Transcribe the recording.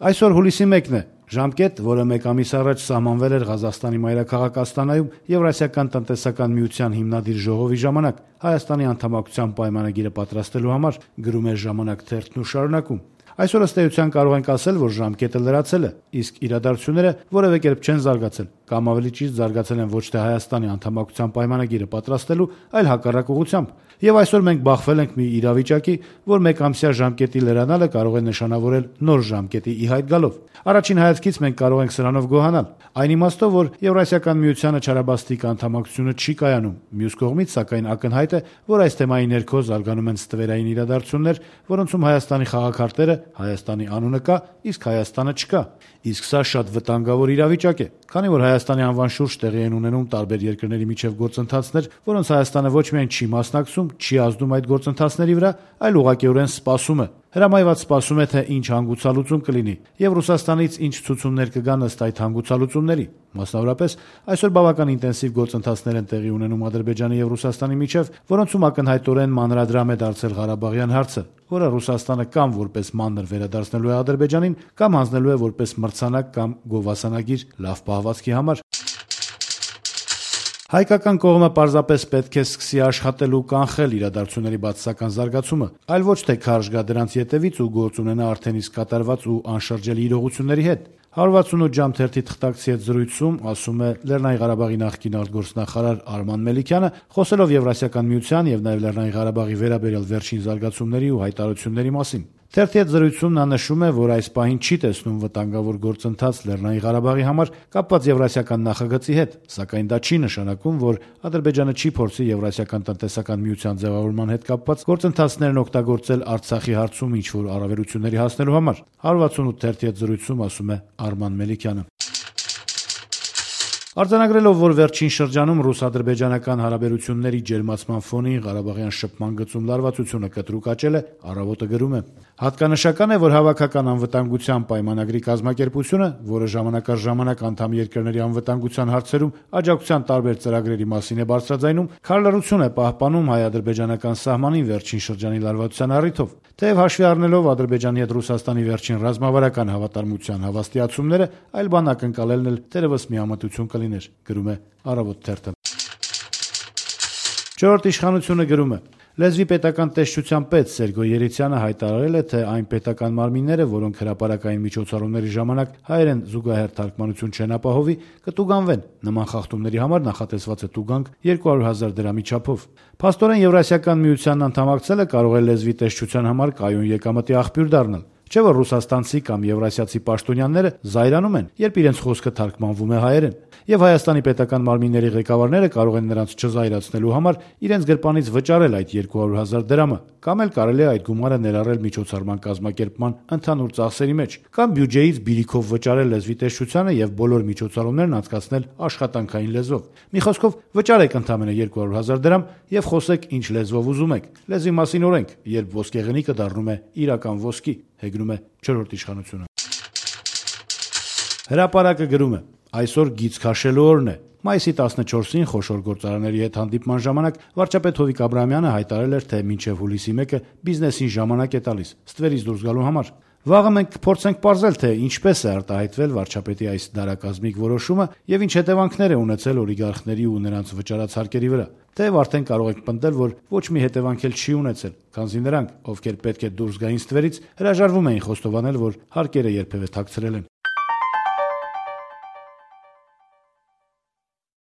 Այսօր հուլիսի 1-ն է, ժամկետ, որը մեկ ամիս առաջ սահմանվել էր Ղազախստանի մայրաքաղաք Աստանայում Եվրասիական տնտեսական միության հիմնադիր ժողովի ժամանակ Հայաստանի անդամակցության պայմանագիրը պատրաստելու համար, գրում է «Ժամանակ» թերթն ու շարունակում. Այսօր ըստ էության կարող ենք ասել, որ ժամկետը լրացել է, իսկ իրադարձությունները որևէ կերպ չեն զարգացել, կամ ավելի ճիշտ զարգացել են ոչ թե Հայաստանի անդամակցության պայմանագիրը պատրաստելու, այլ հակառակ ուղղությամբ։ Եվ այսօր մենք բախվել ենք մի իրավիճակի, որ մեկամսյա ժամկետի լրանալը կարող է նշանավորել նոր ժամկետի ի հայտ գալով։ Առաջին հայացքից մենք կարող ենք սրանով գոհանալ, այն իմաստով, որ Եվրասիական միությանը չարաբաստիկ անդամակցությունը չի կայանում։ Մյուս կողմից, սակայն, ակնհայտ է, որ այս թեմայի ներքո զարգանում են ստվերային իրադարձություններ, որոնցում Հայաստանի խաղաքարտերը, Հայաստանի անունը կա, իսկ Հայաստանը չկա։ Իսկ սա շատ վտանգավոր իրավիճակ է, քանի որ Հայաստանի անվան շուրջ տեղի են ունենում տարբեր երկրների միջև գործընթացներ, որոնց Հայաստանը ոչ միայն չի մասնակցում, չի ազդում այդ գործընթացների վրա, այլ ուղղակիորեն սպասում է։ Հրամայված սպասում է, թե ինչ հանգուցալուծում կլինի, եւ Ռուսաստանից ինչ ցուցումներ կգան ըստ այդ հանգուցալուծումների։ Մասնավորապես, այսօր բավական ինտենսիվ գործընթացներ են տեղի ունենում Ադրբեջանի եւ Ռուսաստանի միջև, որոնցում ակնհայտորեն մանրադրամ է դարձել Ղարաբաղյան հարցը, որը Ռուսաստանը կամ որպես մանր վերադարձնելու է Ադրբեջանին, կամ հանձնելու է որպես մրցանակ կամ գովասանագիր լավ պահվածքի համար։ Հայկական կողմը պարզապես պետք է սկսի աշխատել ու կանխել իրադարձությունների բացասական զարգացումը, այլ ոչ թե քարշ գա դրանց ետևից ու գործ ունենա արդեն իսկ կատարված ու անշրջելի իրողությունների հետ։ 168 ժամ թերթի թղթակցի հետ զրույցում ասում է Լեռնային Ղարաբաղի նախկին արտգործնախարար Արման Մելիքյանը, խոսելով Եվրասիական միության եւ նաեւ Լեռնային Ղարաբաղի վերաբերյալ վերջին զարգացումների ու հայտարարությունների մասին։ Թերթի հետ զրույցում նա նշում է, որ այս պահին չի տեսնում վտանգավոր գործընթաց Լեռնային Ղարաբաղի համար կապված Եվրասիական նախագծի հետ, սակայն դա չի նշանակում, որ Ադրբեջանը չի փորձի Եվրասիական տնտեսական միության ձևավորման հետ կապված գործընթացներն օգտագործել Արցախի հարցում ինչ-որ առավելությունների հասնելու համար։ 168 թերթի հետ զրույցում ասում է Արման Մելիքյանը։ Արձանագրելով, որ վերջին շրջանում ռուս-ադրբեջանական հարաբերությունների ջերմացման ֆոնին Ղարաբաղյան շփման գծում լարվածությունը կտրուկ աճել է, Առավոտը գրում է. Հատկանշական է, որ հավաքական անվտանգության պայմանագրի կազմակերպությունը, որը ժամանակ առ ժամանակ անդամ երկրների անվտանգության հարցերում աջակցության տարբեր ծրագրերի մասին է բարձրաձայնում, քարլռություն է պահպանում հայ-ադրբեջանական սահմանին վերջին շրջանի լարվածության առիթով։ Թեև հաշվի առնելով Ադրբեջանի հետ Ռուսաստանի վերջին ռազմավարական հավատարմության հավաստիացումները, այլ բան ակնկալելն էլ թերևս միամտություն կլիներ, գրում է Առավոտ թերթը։ Չորրորդ իշխանությունը գրում է. Լեզվի պետական տեսչության պետ Սերգո Երիցյանը հայտարարել է, թե այն պետական մարմինները, որոնք հրապարակային միջոցառումների ժամանակ հայերեն զուգահեռ թարգմանություն չեն ապահովի, կտուգանվեն։ Նման խախտումների համար նախատեսված է տուգանք 200,000 դրամի չափով։ Փաստորեն Եվրասիական միությանն անդամակցելը կարող է լեզվի տեսչության համար կայուն եկամտի աղբյուր դառնալ։ Չէ՞ որ ռուսաստանցի կամ եվրասիացի պաշտոնյաները զայրանում են, երբ իրենց խոսքը թարգմանվում է հայերեն, եւ Հայաստանի պետական մարմինների ղեկավարները կարող են նրանց չզայրացնելու համար իրենց գրպանից վճարել այդ 200,000 դրամը, կամ էլ կարելի է այդ գումարը ներառել միջոցառման կազմակերպման ընդհանուր ծախսերի մեջ, կամ բյուջեից բիրիքով վճարել լեզվի տեսչությանը եւ բոլոր միջոցառումներն անցկացնել աշխատանքային լեզվով։ Մի խոսքով, վճարեք ընդամենը 200,000 դրամ եւ խոսեք ինչ լեզվով ուզում եք։ Լեզվի մասին օրենք, երբ ոսկեղենիկը դառնում է իրական ոսկի, հեգնում է չորրորդ իշխանությունը։ Հրապարակը գրում է. Այսօր գիծ քաշելու օրն է։ Մայիսի 14-ին խոշոր գործարանների հետ հանդիպման ժամանակ վարչապետ Հովիկ Աբրահամյանը հայտարարել էր, թե մինչև հուլիսի 1-ը բիզնեսին ժամանակ է տալիս ստվերից դուրս գալու համար։ Վաղը մենք փորձենք պարզել, թե ինչպես է արտահայտվել վարչապետի այս դարակազմիկ որոշումը եւ ինչ հետևանքներ է ունեցել օլիգարխների ու նրանց վճարած հարկերի վրա։ Թեև արդեն կարող եք պնդել, որ ոչ մի հետևանք էլ չի ունեցել, քանզի նրանք, ովքեր պետք է դուրս գային ստվերից, հրաժարվում էին խոստովանել, որ հարկերը երբևէ թաքցրել են։